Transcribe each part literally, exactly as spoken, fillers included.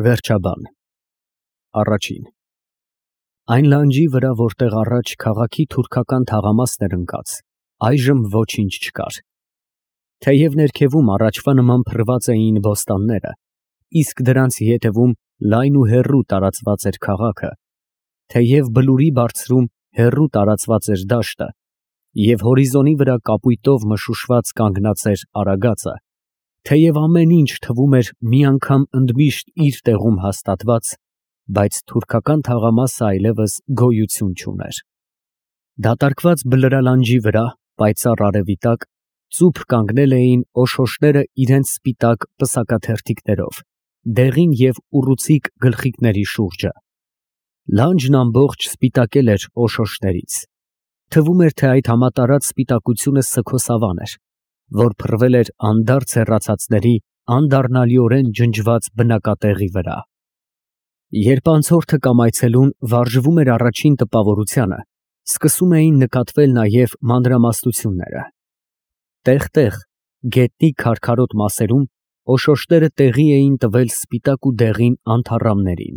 Վերջաբան Առաջին Այն լանջի վրա, որտեղ առաջ քաղաքի թուրքական թաղամասն էր ընկած, այժմ ոչինչ չկար. թեև ներքևում առաջվա նման փռված էին բոստանները, իսկ դրանց ետևում լայն ու հեռու տարածված էր քաղաքը, թեև բլուրի բարձրում հեռու տարածված էր դաշտը, և հորիզոնի վրա կապույտով մշուշված կանգնած էր արագածը, թեև ամեն ինչ թվում էր մի անգամ ընդմիշտ իր տեղում հաստատված, բայց թուրքական թաղամասը այլևս գոյություն չուներ. դատարկված բլրալանջի վրա, պայծառ արևի տակ, ծուփ կանգնել էին օշոշները իրենց սպիտակ պսակաթերթիկներով, դեղին և ուռուցիկ գլխիկների շուրջը. լանջն ամբողջ սպիտակել էր օշոշներից, թվում էր, թե այդ համատարած սպիտակությունը սգոսավան էր, որ փռվել էր անդարձ հեռացածների անդառնալիորեն ջնջված բնակատեղի վրա. Երբ անցորդը կամ այցելուն վարժվում էր առաջին տպավորությանը, սկսում էին նկատվել նաև մանրամասնությունները. տեղ֊տեղ, գետնի քարքարոտ մասերում, օշոշները տեղի էին տվել սպիտակ ու դեղին անթառամներին.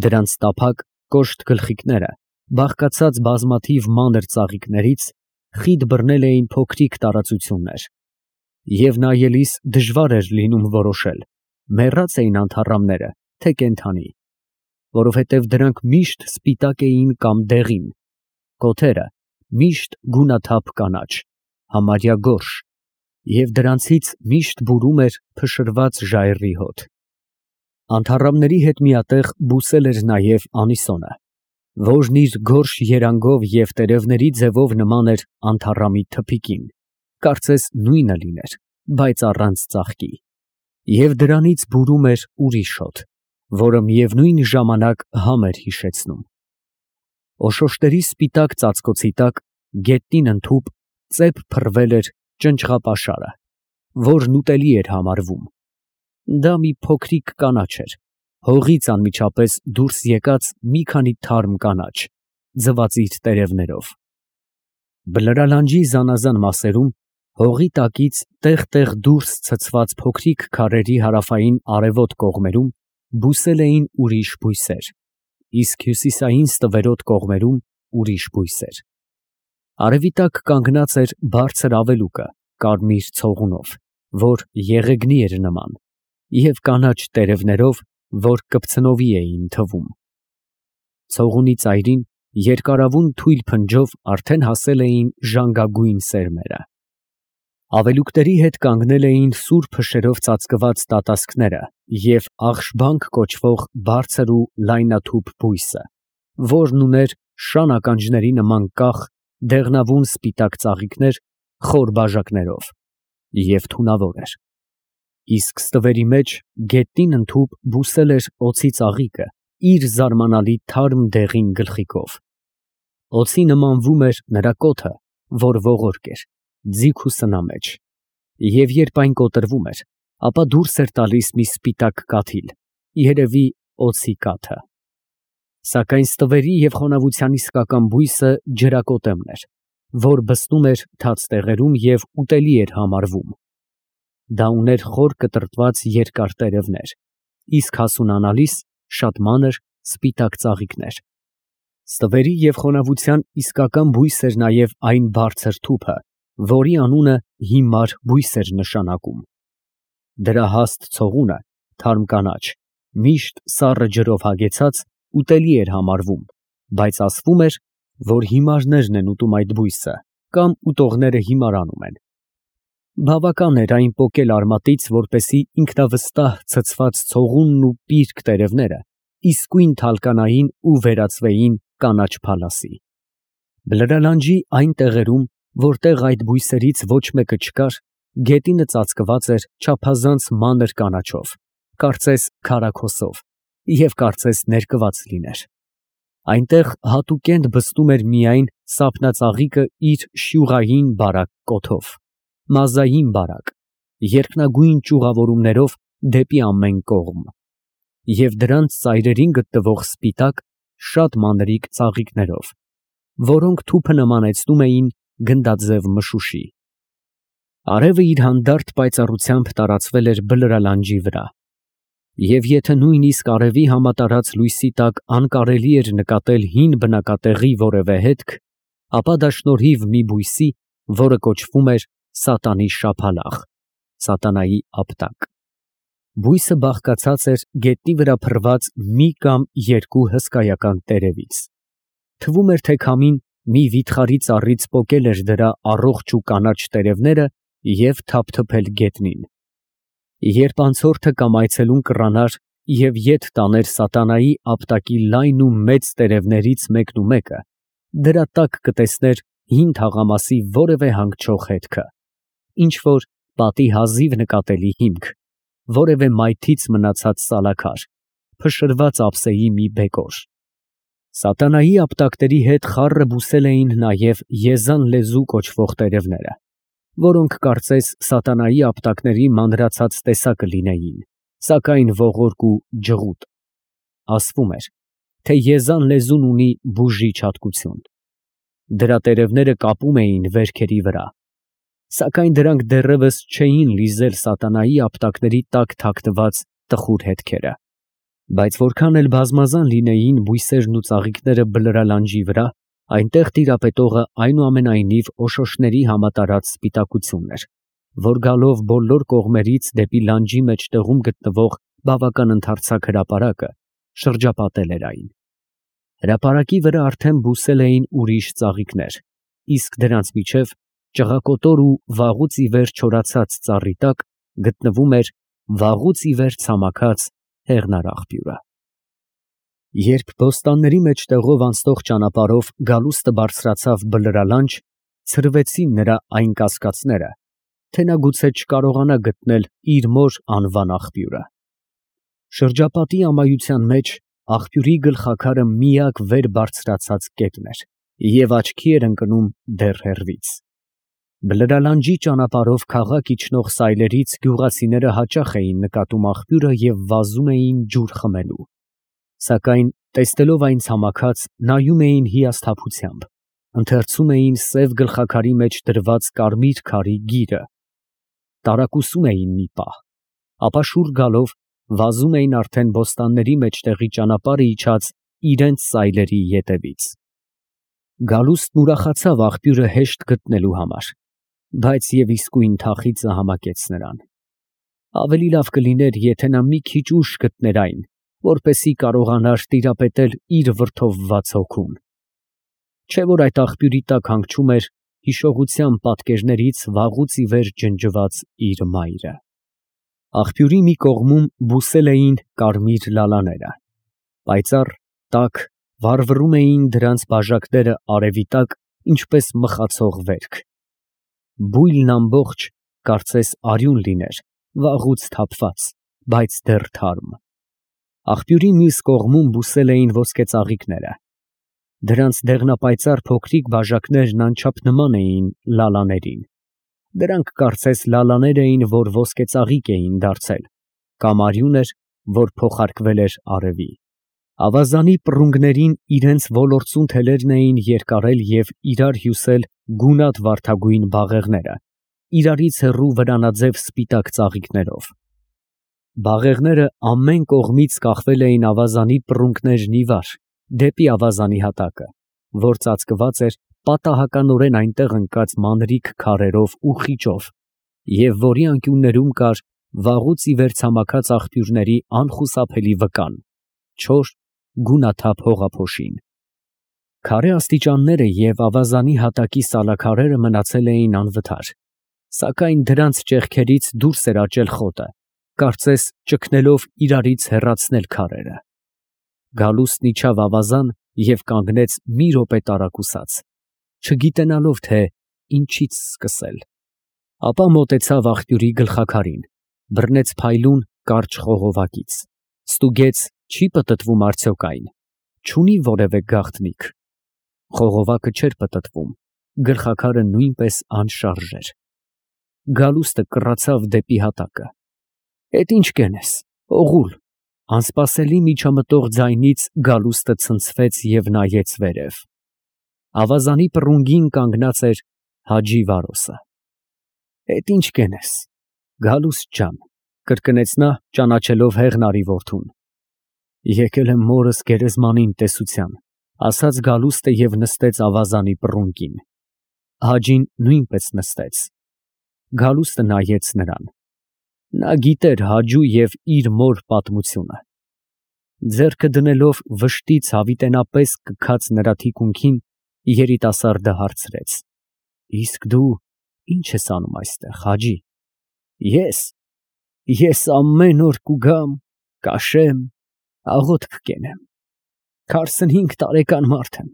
դրանց տափակ, կոշտ գլխիկները, բաղկացած բազմաթիվ մանր ծաղիկներից, խիտ բռնել էին փոքրիկ տարածություններ, և նայելիս դժվար էր լինում որոշել, մեռած էին անթառամները, թե կենդանի, որովհետև դրանք միշտ սպիտակ էին կամ դեղին, կոթերը միշտ գունաթափ կանաչ, համարյա գորշ, և դրանցից միշտ բուրում էր փշրված ժայռի հոտ. անթառամների հետ միատեղ բուսել էր նաև անիսոնը, որն իր գորշ երանգով և տերևների ձևով նման էր անթառամի թփիկին, կարծես նույնը լիներ, բայց առանց ծաղկի, և դրանից բուրում էր ուրիշ հոտ, որը միևնույն ժամանակ համ էր հիշեցնում. օշոշների սպիտակ ծածկոցի տակ, գետնին ընդհուպ, ծեպ փռվել էր ճնճղապաշարը, որն ուտելի էր համարվում. դա մի փոքրիկ կանաչ էր, հողից անմիջապես դուրս եկած մի քանի թարմ կանաչ, ձվածիր տերևներով. բլրալանջի զանազան մասերում, հողի տակից տեղ֊տեղ դուրս ցցված փոքրիկ քարերի հարավային արևոտ կողմերում բուսել էին ուրիշ բույսեր, իսկ հյուսիսային ստվերոտ կողմերում ուրիշ բույսեր. արևի տակ կանգնած էր բարձր ավելուկը կարմիր ցողունով, որ եղեգնի էր նման, և կանաչ տերևներով, որ կպցնովի էին թվում. ցողունի ծայրին երկարավուն թույլ փնջով արդեն հասել էին ժանգագույն սերմերը. ավելուկների հետ կանգնել էին սուր փշերով ծածկված տատասկները և աղշբանք կոչվող բարձր ու լայնաթուփ բույսը, որն ուներ շան ականջների նման կախ, դեղնավուն սպիտակ ծաղիկներ խոր բաժակներով և թունավոր էր, իսկ ստվերի մեջ գետնին ընդհուպ բուսել էր օձի ծաղիկը իր զարմանալի թարմ դեղին գլխիկով. օձի նմանվում էր նրա կոթը, որ ողորկ էր, ձիգ ու սնամեջ, և երբ այն կոտրվում էր, ապա դուրս էր տալիս մի սպիտակ կաթիլ, երևի օձի կաթը. սակայն ստվերի և խոնավության իսկական բույսը ջրակոտեմն էր, որ բսնում էր թաց տեղերում և ուտելի էր համարվում. դա ուներ խոր կտրտված երկար տերևներ, իսկ հասունանալիս շատ մանր, սպիտակ ծաղիկներ. ստվերի և խոնավության իսկական բույս էր նաև այն բարձր թուփը, որի անունը հիմար բույս էր նշանակում. դրա հաստ ցողունը, թարմ կանաչ, միշտ սառը ջրով հագեցած, ուտելի էր համարվում, բայց ասվում էր, որ հիմարներն են ուտում այդ բույսը, կամ ուտողները հիմարանում են. բավական էր այն պոկել արմատից, որպեսզի ինքնավստահ ցցված ցողունն ու պիրկ տերևները իսկույն թալկանային ու վերածվեին կանաչ փալասի. բլրալանջի այն տեղերում, որտեղ այդ բույսերից ոչ մեկը չկար, գետինը ծածկված էր չափազանց մանր կանաչով, կարծես քարաքոսով, և կարծես ներկված լիներ. այնտեղ հատուկենտ բսում էր միայն սափնածաղիկը իր շյուղային բարակ կոթով, մազային բարակ, երկնագույն ճյուղավորումներով դեպի ամեն կողմ, և դրանց ծայրերին գտնվող սպիտակ, շատ մանրիկ ծաղիկներով, որոնք թուփը նմանեցնում էին գնդաձև մշուշի. արևը իր հանդարտ պայծառությամբ տարածվել էր բլրալանջի վրա, Եվ եթե նույնիսկ արևի համատարած լույսի տակ անկարելի էր նկատել հին բնակատեղի որևէ հետք, ապա դա շնորհիվ մի բույսի, որը կոչվում էր սատանի շաբաթալաղ (սատանայի ապտակ)։ Բույսը բաղկացած էր գետնի վրա փռված մի կամ երկու հսկայական տերևից։ Թվում էր, թե քամին մի վիթխարի ծառից պոկել էր դրա առողջ ու կանաչ տերևները և թափթփել գետնին։ Երբ անցորդը կամ այցելուն կռանար և ետ տաներ սատանայի ապտակի լայն ու մեծ տերևներից մեկնումեկը, դրա տակ կտեսներ հին թաղամասի որևէ հանգչող հետքը, ինչ֊որ պատի հազիվ նկատելի հիմք, որևէ մայթից մնացած սալաքար, փշրված ափսեի մի բեկոր։ Սատանայի ապտակների հետ խառը բուսել էին նաև եզան լեզու կոչվող տերևները, որոնք կարծես սատանայի ապտակների մանրացած տեսակը լինեին, սակայն ողորկ ու ջղուտ։ Ասվում էր, թե եզան լեզուն ունի բուժիչ հատկություն։ Դրա տերևները կապում էին վերքերի վրա, սակայն դրանք դեռևս չէին լիզել սատանայի ապտակների տակ թաքնված տխուր հետքերը։ Բայց որքան էլ բազմազան լինեին բույսերն ու ծաղիկները բլրալանջի վրա, այնտեղ տիրապետողը այնուամենայնիվ օշոշների համատարած սպիտակությունն էր, որ գալով բոլոր կողմերից դեպի լանջի մեջտեղում գտնվող բավական ընդարձակ հրապարակը, շրջապատել էր այն։ Հրապարակի վրա արդեն բուսել էին ուրիշ ծաղիկներ, իսկ դրանց միջև ճղակոտոր ու վաղուց ի վեր չորացած ծառի տակ գտնվում էր վաղուց ի վեր ցամաքած հեղնարաղբյուրը։ Երբ բոստանների մեջտեղով անցնող ճանապարհով գալուստը բարձրացավ բլրալանջ, ցրվեցին նրա այն կասկածները, թե նա գուցե չկարողանա գտնել իր մոր անվան աղբյուրը։ Շրջապատի ամայության մեջ աղբյուրի գլխաքարը միակ վեր բարձրացած կետն էր և աչքի էր ընկնում դեռ հեռվից։ Բլրալանջի ճանապարհով քաղաք իջնող սայլերից գյուղացիները հաճախ էին նկատում աղբյուրը և վազում էին ջուր խմելու, սակայն տեսնելով այն ցամաքած, նայում էին հիասթափությամբ, ընթերցում էին սև գլխաքարի մեջ դրված կարմիր քարի գիրը, տարակուսում էին մի պահ, ապա շուռ գալով վազում էին արդեն բոստանների մեջտեղի ճանապարհը իջած իրենց սայլերի ետևից։ Գալուստն ուրախացավ աղբյուրը հեշտ գտնելու համար, բայց և իսկույն թախիծը համակեց նրան։ Ավելի լավ կլիներ, եթե նա մի քիչ ուշ գտներ այն, որպեսզի կարողանար տիրապետել իր վրդովված հոգուն։ Չէ՞ որ այդ աղբյուրի տակ հանգչում էր հիշողության պատկերներից վաղուց ի վեր ջնջված իր մայրը։ Աղբյուրի մի կողմում բուսել էին կարմիր լալաները, պայծառ, տաք, վառվռում էին դրանց բաժակները արևի տակ, ինչպես մխացող վերք։ Բույլն ամբողջ, կարծես արյուն լիներ, վաղուց թափված, բայց դեռ թարմ։ Աղբյուրի մյուս կողմում բուսել էին ոսկեծաղիկները։ Դրանց դեղնապայծառ փոքրիկ բաժակներն անչափ նման էին լալաներին։ Դրանք կարծես լալաներ էին, որ ոսկեծաղիկ էին դարձել, կամ արյուն էր, որ փոխարկվել էր արևի։ Ավազանի պռունգներին իրենց ոլործուն թելերն էին երկարել և իրար հյուսել գունատ վարդագույն բաղեղները, իրարից հեռու վրանաձև սպիտակ ծաղիկներով։ Բաղեղները ամեն կողմից կախվել էին ավազանի պռունգներն ի վար, դեպի ավազանի հատակը, որ ծածկված էր պատահականորեն այնտեղ ընկած մանրիկ քարերով ու խիճով, և որի անկյուններում կար վաղուց ի վեր ցամաքած աղբյուրների անխուսափելի վկան, չոր, գունաթափ հողափոշին։ Քարե աստիճանները և ավազանի հատակի սալաքարերը մնացել էին անվթար, սակայն դրանց ճեղքերից դուրս էր աճել խոտը, կարծես ճգնելով իրարից հեռացնել քարերը։ Գալուստն իջավ ավազան և կանգնեց մի րոպե տարակուսած, չգիտենալով, թե ինչից սկսել։ Ապա մոտեցավ աղբյուրի գլխաքարին, բռնեց փայլուն, կարճ խողովակից, ստուգեց, չի պտտվում արդյոք այն, չունի՞ որևէ գաղտնիք։ Խողովակը չէր պտտվում, գլխաքարը նույնպես անշարժ էր։ Գալուստը կռացավ դեպի հատակը։ «Էդ ի՞նչ կենես, օղուլ»։ Անսպասելի միջամտող ձայնից գալուստը ցնցվեց և նայեց վերև։ Ավազանի պռունգին կանգնած էր Հաջի Վարոսը։ «Էդ ի՞նչ կենես, Գալուստ ջան»։ կրկնեց նա, ճանաչելով Հեղնարի որդուն։ Եկել եմ մորս գերեզմանին տեսության, ասաց Գալուստը և նստեց ավազանի պռունկին։ Հաջին նույնպես նստեց։ Գալուստը նայեց նրան։ Նա գիտեր Հաջու և իր մոր պատմությունը։ Ձեռքը դնելով վշտից հավիտենապես կքած նրա թիկունքին, երիտասարդը հարցրեց. Իսկ դու ի՞նչ ես անում այստեղ, Հաջի։ Ես, ես ամեն օր կուգամ, կաշեմ, աղոթք կենեմ։ Քառսնհինգ տարեկան մարդ եմ,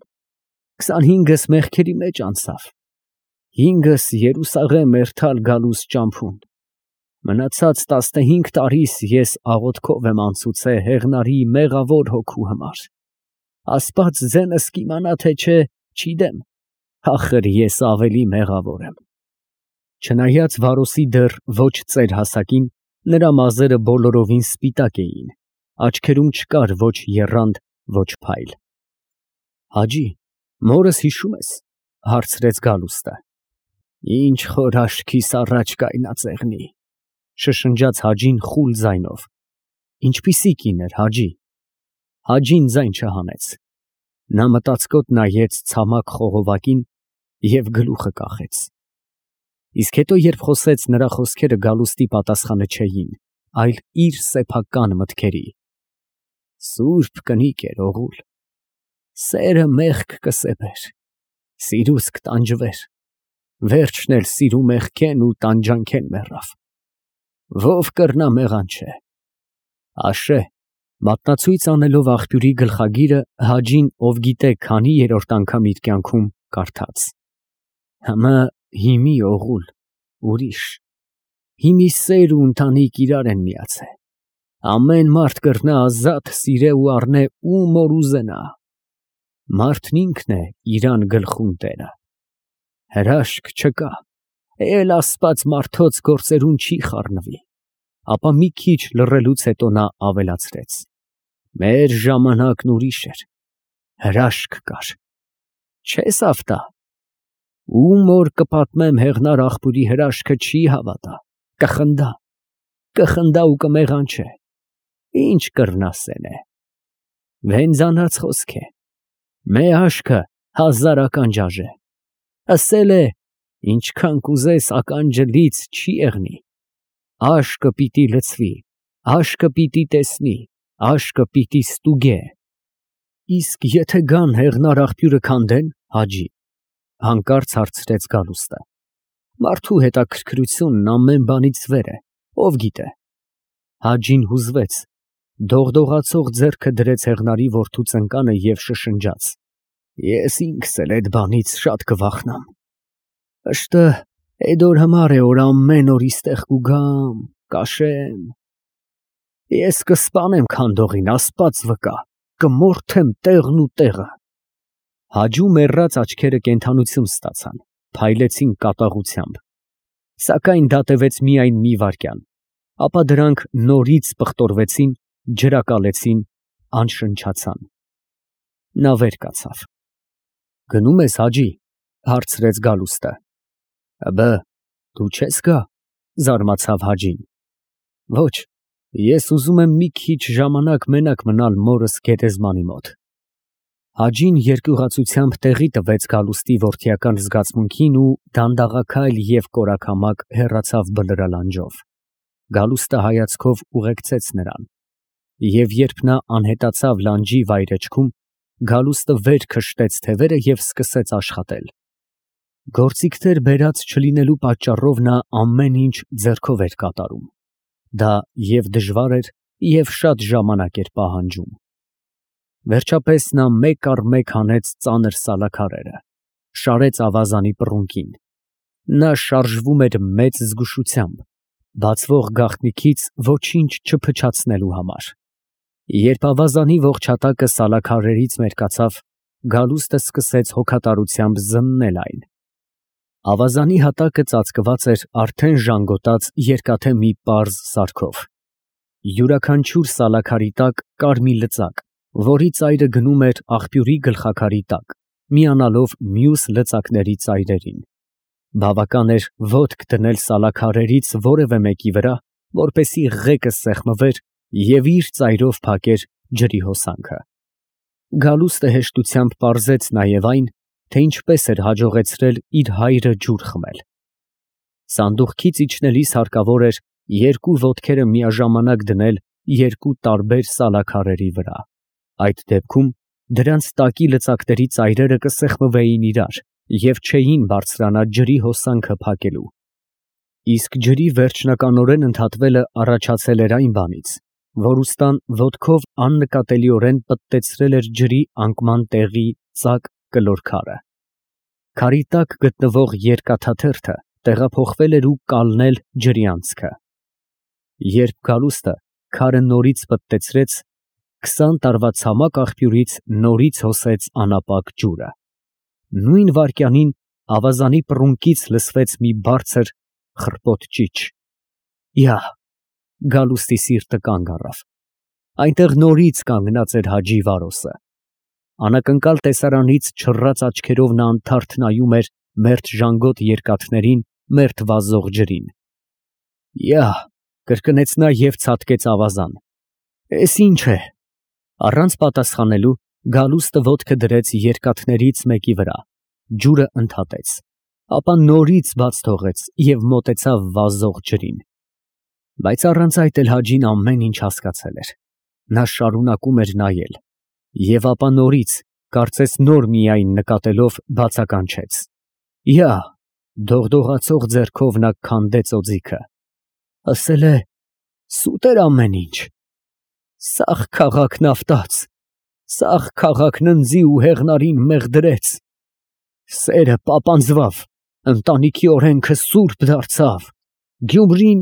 քսանհինգս մեղքերի մեջ անցավ, հինգս Երուսաղեմ էրթալ գալուս ճամփուն, մնացած տասնհինգ տարիս ես աղոթքով եմ անցուցե Հեղնարի մեղավոր հոգու համար։ Աստված ձենս կիմանա, թե չէ, չիդեմ, ախր ես ավելի մեղավոր եմ։ Չնայած Վարոսի դեռ ոչ ծեր հասակին, նրա մազերը բոլորովին սպիտակ էին, աչքերում չկար ոչ եռանդ, ոչ փայլ։ Հաջի, մորս հիշո՞ւմ ես, հարցրեց Գալուստը։ Ինչ խոր աչքիս առաջ կայնածեղնի, շշնջաց Հաջին խուլ ձայնով։ Ինչպիսի կին էր, Հաջի։ Հաջին ձայն չհանեց։ Նա մտածկոտ նայեց ցամաք խողովակին և գլուխը կախեց։ Իսկ հետո, երբ խոսեց, նրա խոսքերը Գալուստի պատասխանը չէին, այլ իր սեփական մտքերի։ Սուրբ կնիկ էր, օղուլ։ Սերը մեղք կսեպեր, սիրուս կտանջվեր, վերջն էլ սիրու մեղքեն ու տանջանքեն մեռավ։ Ով կրնա մեղանչե։ Աշե, մատնացույց անելով աղբյուրի գլխագիրը, Հաջին, ով գիտե քանի երրորդ անգամ իր կյանքում, կարդաց. Համա հիմի օղուլ, ուրիշ, հիմի սեր ու ընտանիք իրար են միացե, ամեն մարդ կրնա ազատ սիրե ու առնե ում որ ուզենա, մարդն ինքն է իրան գլխուն տերը, հրաշք չկա, էլ ասպաց մարդոց գործերուն չի խառնվի, ապա մի քիչ լռելուց հետո նա ավելացրեց. մեր ժամանակն ուրիշ էր, հրաշք կար, չես ավտա, ում որ կպատմեմ Հեղնար աղբյուրի հրաշքը չի հավատա, կխնդա, կխնդա ու կմեղանչե, ինչ կրնա սենե։ Վենձանած խոսք է, մե աշկը հազար ականջ աժե, ասել է, ինչքան կուզես ականջը լից չի եղնի, աշկը պիտի լցվի, աշկը պիտի տեսնի, աշկը պիտի ստուգե։ Իսկ եթե գան Հեղնար աղբյուրը քանդեն, Հաջի, հանկարծ հարցրեց Գալուստը։ Մարդու հետաքրքրությունն ամեն բանից վեր է, ով գիտե։ Հաջին հուզվեց, դողդողացող ձեռքը դրեց Հեղնարի որդու ծնկանը և շշնջաց. Ես ինքս էլ այդ բանից շատ կվախնամ։ Ըշտը այդ օր համար է, որ ամեն օր իստեղ կուգամ, կաշեմ։ Ես կսպանեմ քանդողին, Աստված վկա, կմորթեմ տեղն ու տեղը։ Հաջու մեռած աչքերը կենդանություն ստացան, փայլեցին կատաղությամբ։ Սակայն դա տևեց միայն մի վայրկյան, ապա դրանք նորից պղտորվեցին, ջրակալեցին, անշնչացան։ Նա վեր կացավ։ Գնում ես, Հաջի, հարցրեց Գալուստը։ Աբա դու չես գա, զարմացավ Հաջին։ Ոչ, ես ուզում եմ մի քիչ ժամանակ մենակ մնալ մորս գերեզմանի մոտ։ Հաջին երկյուղացությամբ տեղի տվեց Գալուստի որդիական զգացմունքին ու դանդաղաքայլ և կորակամակ հեռացավ բլրալանջով։ Գալուստը հայացքով ուղեկցեց նրան։ Եվ երբ նա անհետացավ լանջի վայրէջքում, Գալուստը վեր քշտեց թևերը և սկսեց աշխատել։ Գործիքներ բերած չլինելու պատճառով նա ամեն ինչ ձեռքով էր կատարում։ Դա և դժվար էր, և շատ ժամանակ էր պահանջում։ Վերջապես նա մեկ առ մեկ հանեց ծանր սալաքարերը, շարեց ավազանի պռունկին։ Նա շարժվում էր մեծ զգուշությամբ, բացվող գաղտնիքից ոչինչ չփչացնելու համար։ Երբ ավազանի ողջ հատակը սալաքարերից մերկացավ, Գալուստը սկսեց հոգատարությամբ զննել այն։ Ավազանի հատակը ծածկված էր արդեն ժանգոտած երկաթե մի պարզ սարքով։ Յուրաքանչյուր սալաքարի տակ կար մի լծակ, որի ծայրը գնում էր աղբյուրի գլխաքարի տակ, միանալով մյուս լծակների ծայրերին։ Բավական էր ոտք դնել սալաքարերից որևէ մեկի վրա, որպեսզի ղեկը սեղմվեր և իր ծայրով փակեր ջրի հոսանքը։ Գալուստը հեշտությամբ պարզեց նաև այն, թե ինչպես էր հաջողեցրել իր հայրը ջուր խմել։ Սանդուղքից իջնելիս հարկավոր էր երկու ոտքերը միաժամանակ դնել երկու տարբեր սալաքարերի վրա, այդ դեպքում դրանց տակի լծակների ծայրերը կսեղմվեին իրար և չէին բարձրանա ջրի հոսանքը փակելու։ Իսկ ջրի վերջնականորեն ընդհատվելը առաջացել էր այն բանից, որ ուստան ոտքով աննկատելիորեն պտտեցրել էր ջրի անկման տեղի ծակ կլոր քարը։ Քարի տակ գտնվող երկաթաթերթը տեղափոխվել էր ու կալնել ջրի անցքը։ Երբ Գալուստը քարը նորից պտտեցրեց, քսան տարվա ցամաք աղբյուրից նորից հոսեց անապակ ջուրը։ Նույն վայրկյանին ավազանի պռունկից լսվեց մի բարձր խռպոտ ճիչ։ Յա! Գալուստի սիրտը կանգ առավ։ Այնտեղ նորից կանգնած էր Հաջի Վարոսը։ Անակնկալ տեսարանից չռած աչքերով նա անթարթ նայում էր մերթ ժանգոտ երկաթներին, մերթ վազող ջրին։ Յա! Կրկնեց նա և ցատկեց ավազան։ Էս ի՞նչ է։ Առանց պատասխանելու Գալուստը ոտքը դրեց երկաթներից մեկի վրա, ջուրը ընդհատեց, ապա նորից բաց թողեց և մոտեցավ վազող ջրին։ Բայց առանց այդ էլ Հաջին ամեն ինչ հասկացել էր։ Նա շարունակում էր նայել, և ապա նորից, կարծես նոր միայն նկատելով, բացականչեց։ Յա! Դողդողացող ձեռքով նա քանդեց օձիքը։ Ասել է. սուտ էր ամեն ինչ։ Սաղ քաղաքն ավտաց, սաղ քաղաքն ընձի ու հեղնարին մեղդրեց։ Սերը պապանձվավ, ընտանիքի օրենքը սուրբ դարձավ, Գյումրին…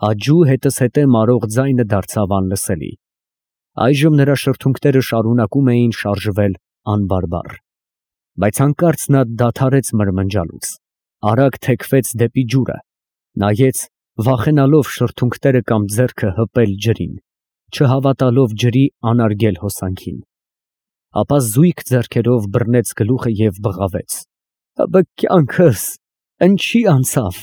Հաջու հետզհետե մարող ձայնը դարձավ անլսելի։ Այժմ նրա շրթունքները շարունակում էին շարժվել անբարբառ։ Բայց հանկարծ նա դադարեց մրմնջալուց, արագ թեքվեց դեպի ջուրը, նայեց, վախենալով շրթունքները կամ ձեռքը հպել ջրին, չհավատալով ջրի անարգել հոսանքին։ Ապա զույգ ձեռքերով բռնեց գլուխը և բղավեց. Ա բը կյանքս, ընչի անցավ։